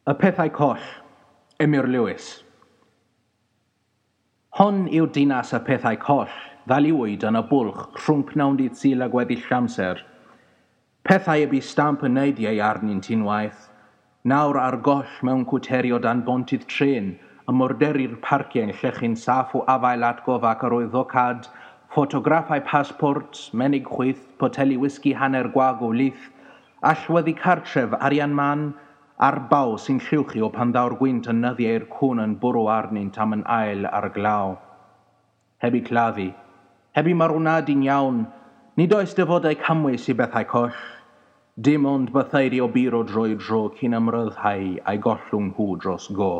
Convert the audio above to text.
Y Pethau Coll, Emyr Lewis. Hon yw dinas y pethau coll, ddaliwyd yn y bwlch rhwng pnawn dydd Sul a gweddill amser. Pethau y bu stamp y neidiau arnynt unwaith, nawr ar goll mewn cwteri o dan bontydd trên, y mwrderi'r parciau'n llechu'n saff o afael atgof ac arwyddocâd, ffotograffau pasbort, menig chwyth, poteli wisgi hanner gwag o lith, allweddi cartref, arian man, a'r baw sy'n lluwchio pan ddaw'r gwynt yn nyddiau'r cwn yn bwrw arnynt am yn ail ar glaw. Heb i claddu, heb i marwnadu'n iawn, nid oes dyfodau camwys i bethau coll, dim ond bytheiri o buro drwy dro cyn ymryddhau a'i gollwng nhw dros go.